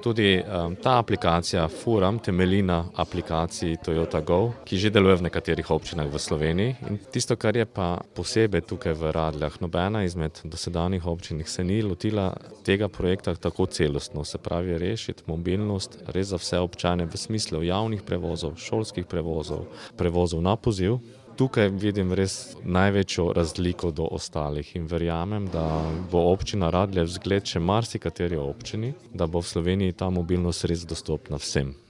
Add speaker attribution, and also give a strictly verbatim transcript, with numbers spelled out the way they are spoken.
Speaker 1: Tudi um, ta aplikacija Furam temelji na aplikaciji Toyota Go, ki že deluje v nekaterih občinah v Sloveniji. In tisto, kar je pa posebej tukaj v Radljah, nobena izmed dosedanjih občin se ni lotila tega projekta tako celostno, se pravi rešiti mobilnost res za vse občane v smislu javnih prevozov, šolskih prevozov, prevozov na poziv. Tukaj vidim res največjo razliko do ostalih in verjamem, da bo občina Radlje vzgled še marsikateri občini, da bo v Sloveniji ta mobilnost res dostopna vsem.